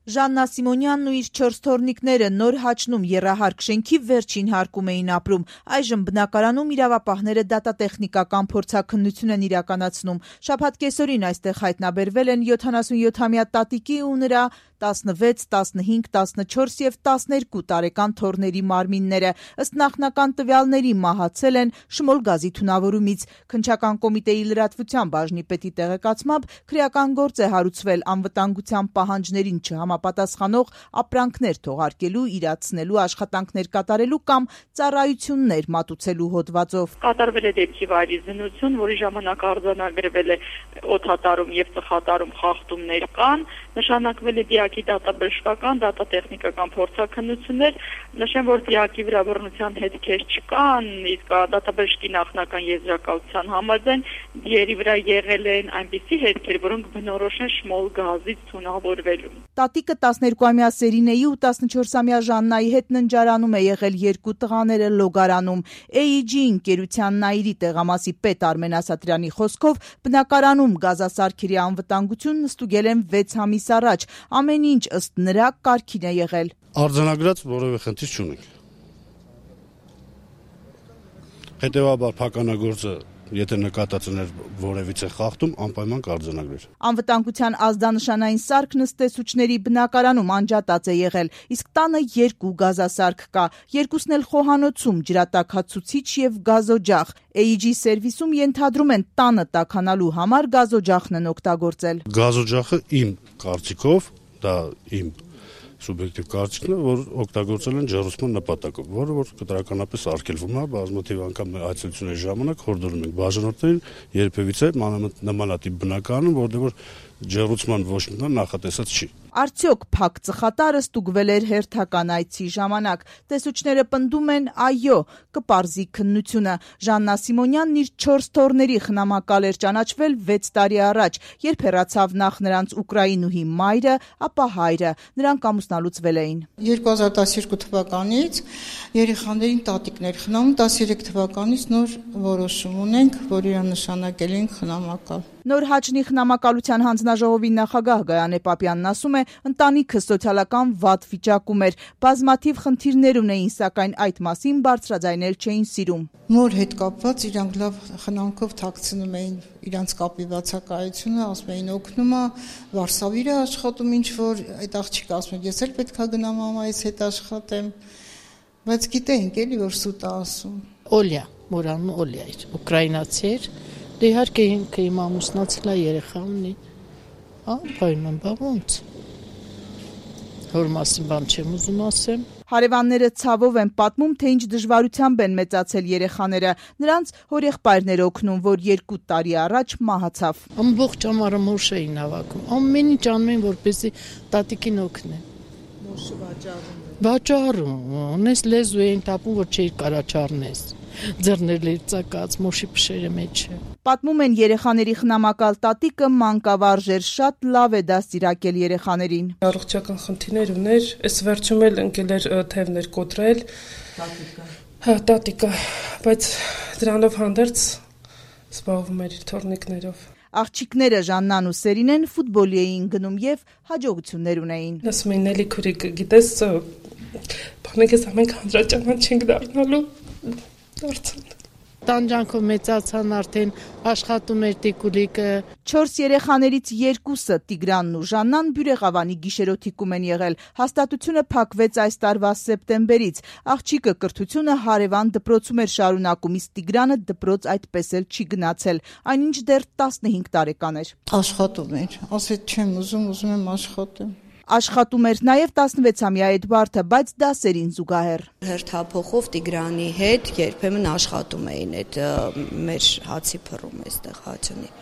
Ժաննա Սիմոնյանն ու իր 4 թոռնիկները նոր Հաչնում եռահարկ շենքի վերջին հարկում էին ապրում։ Այժմ բնակարանում իրավապահները դատատեխնիկական փորձաքննություն են իրականացնում։ Շաբաթ կեսօրին այստեղ հայտնաբերվել են 77-ամյա տատիկի ու նրա 16, 15, 14 և 12 տարեկան թոռների մարմինները։ Ըստ նախնական տվյալների մահացել են Շմոլ գազի թունավորումից։ Քննչական կոմիտեի լրատվության բաժնի պետի տեղեկացմամբ քրեական գործ է հարուցվել անվտանգության պահանջներին չհամապատասխանող ապրանքներ թողարկելու, իրացնելու, աշխատանքներ կատարելու կամ ծառայություններ մատուցելու հոդվածով։ Կատարվել է դեպքի վայրի զննություն, որի ժամանակ արձանագրվել է օդատարում և ծխատարում խախտումներ կան, նշանակվել է դիակի դատաբժշկական, դատատեխնիկական փորձաքննություններ, նշեմ, որ դիակի վրա բռնության հետքեր չկան, իսկ դատաբժշկի նախնական եզրակացության համաձայն դիերի վրա եղել են այնպիսի հետքեր, որոնք բնորոշ են Շմոլ գազից թունավորվելու։ Տատիկը 12-ամյա Սերինեի ու 14-ամյա Ժաննայի հետ ննջարանում է եղել, 2 տղաները լոգարանում։ AEG ընկերության Նայիրի տեղամասի պետ Արմեն Ասատրյանի խոսքով բնակարանում գազասարքերի անվտանգությունն ստուգել են 6 ամիս առաջ։ Ամեն ինչ ըստ նրա կարգին է եղել։ Արձանագրած որևէ խնդիր չունենք։ Հետևաբար փականագործը եթե նկատածներ որևիցե խախտում, անպայման կարձանագրեր։ Անվտանգության ազդանշանային սարքն ըստ տեսուչների բնակարանում անջատած է եղել, իսկ տանը 2 գազասարք կա, երկուսն էլ խոհանոցում, ջրատաքացուցիչ և գազօջախ։ AEG սերվիսում ենթադրում են տանը տաքանալու համար գազօջախն են օգտագործել։ Գազօջախը իմ կարծիքով, դա իմ սուբյեկտիվ կարծիքն է, որ օգտագործել են ջեռուցման նպատակով, որը որ կտրականապես արգելվում է, բազմաթիվ անգամ այցելությունների ժամանակ հորդորում ենք բաժանորդներին երբևիցե նմանատիպ բնակարանում, որտեղ որ ջեռուցման ոչ մի բան նախատեսած չի։ Արդյոք փակ ծխատարը ստուգվել էր հերթական այցի ժամանակ։ Տեսուչները պնդում են այո, կպարզի քննությունը։ Ժաննա Սիմոնյանն իր 4 թոռների խնամակալ էր ճանաչվել 6 տարի առաջ, երբ հեռացավ նախ նրանց ուկրաինուհի մայրը, ապա հայրը։ Նրանք ամուսնալուծվել էին։ 2012 թվականից երեխաներին տատիկներ խնամում, 13 թվականից նոր որոշում ունենք, որ իրան նշանակել ենք խնամակալ։ Նոր Հաչնի խնամակալության հանձնաժողովի նախագահ Գայանե Պապյանն ասում է, ընտանիքը սոցիալական վատ վիճակում էր, բազմաթիվ խնդիրներ ունեին, սակայն այդ մասին բարձրաձայնել չէին սիրում։ Մոր հետ կապված իրանք լավ խնամքով թաքցնում էին իրանց կապի բացակայությունը, ասում էին օգնում է, Վարշավիր է աշխատում, ինչ որ այդ աղջիկը ասում է, ես էլ պետք է գնամ մամայիս հետ աշխատեմ, բայց գիտեինք էլի որ սուտ է ասում։ Օլյա, մորանում Օլյա էր, ուկրաինացի էր։ Դե իհարկե ինքը իմ ամուսնացել է, երեխա ունի։ Պայման բա ոնց։ Հոր մասին բան չեմ ուզում ասեմ։ Հարևանները ցավով են պատմում, թե ինչ դժվարությամբ են մեծացել երեխաները։ Նրանց հորեղբայրն էր օգնում, որ 2 տարի առաջ մահացավ։ Ամբողջ ամառը մոշ էին հավաքում։ Ամեն ինչ անում էին, որպեսզի տատիկին օգնեն։ Մոշը վաճառում։ Վաճառում, ունես լեզու էին տապում, որ չէի կարա չառնես։ Ձեռներն էր ծակած, մոշի փշերը մեջը։ Պատմում են երեխաների խնամակալ տատիկը մանկավարժ էր, շատ լավ է դաստիարակել երեխաներին։ Առողջական խնդիրներ ուներ, այս վերջում էլ ընկել էր թևներ կոտրել։ Տատիկը, բայց դրանով հանդերձ զբաղվում էր իր թոռնիկներով։ Աղջիկները Ժաննան ու Սերինեն ֆուտբոլի էին գնում և հաջողություններ ունեին։ Ասում էին էլի քուրիկ, գիտես, բանեկես ամենք հանրաճանաչ չենք դառնալու, դարձան։ Տանջանքով մեծացան, արդեն աշխատում էր տիկուլիկը։ 4 երեխաներից 2-ը Տիգրանն ու Ժաննան Բյուրեղավանի գիշերօթիկում են եղել։ Հաստատությունը փակվեց այս տարվա սեպտեմբերից։ Աղջիկը կրթությունը հարևան դպրոցում էր շարունակում, իսկ Տիգրանը դպրոց այդպես էլ չի գնացել, այնինչ դեռ 15 տարեկան էր։ Աշխատում էր, ասեց չեմ ուզում եմ աշխատեմ։ Աշխատում էր նաև 16-ամյա Էդվարդը, բայց դասերին զուգահեռ։ Հերթափոխով Տիգրանի հետ երբեմն աշխատում էին այդ մեր հացի փռում այստեղ Հաչնի։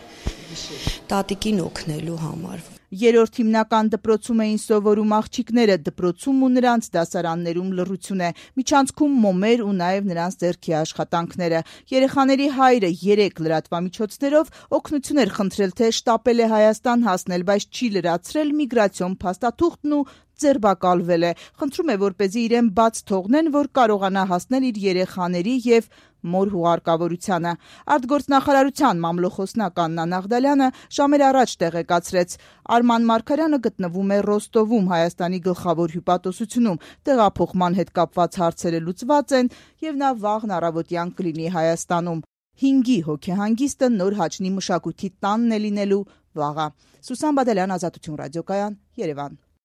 Տատիկին օգնելու համար։ 3-րդ հիմնական դպրոցում էին սովորում աղջիկները, դպրոցում ու նրանց դասարաններում լռություն է, միջանցքում մոմեր ու նաև նրանց ձեռքի աշխատանքները։ Երեխաների հայրը 3 լրատվամիջոցներով օգնություն էր խնդրել, թե շտապել է Հայաստան հասնել, բայց չի լրացրել միգրացիոն փաստաթուղթն ու ձերբակալվել է։ Խնդրում է, որպեսզի իրեն բաց թողնեն, որ կարողանա հասնել իր երեխաների և մոր հուղարկավորությանը։ Արտգործնախարարության մամլոխոսնակ Աննա Նաղդալյանը ժամեր առաջ տեղեկացրեց. Արման Մարգարյանը գտնվում է Ռոստովում, Հայաստանի գլխավոր հյուպատոսությունում, տեղափոխման հետ կապված հարցերը լուծված են եւ նա վաղն առավոտյան կլինի Հայաստանում։ 5-ի հոգեհանգիստը Նոր Հաչնի մշակույթի տանն է լինելու վաղը։ Սուսան Բադալյան, Ազատություն ռադիոկայան, Երևան։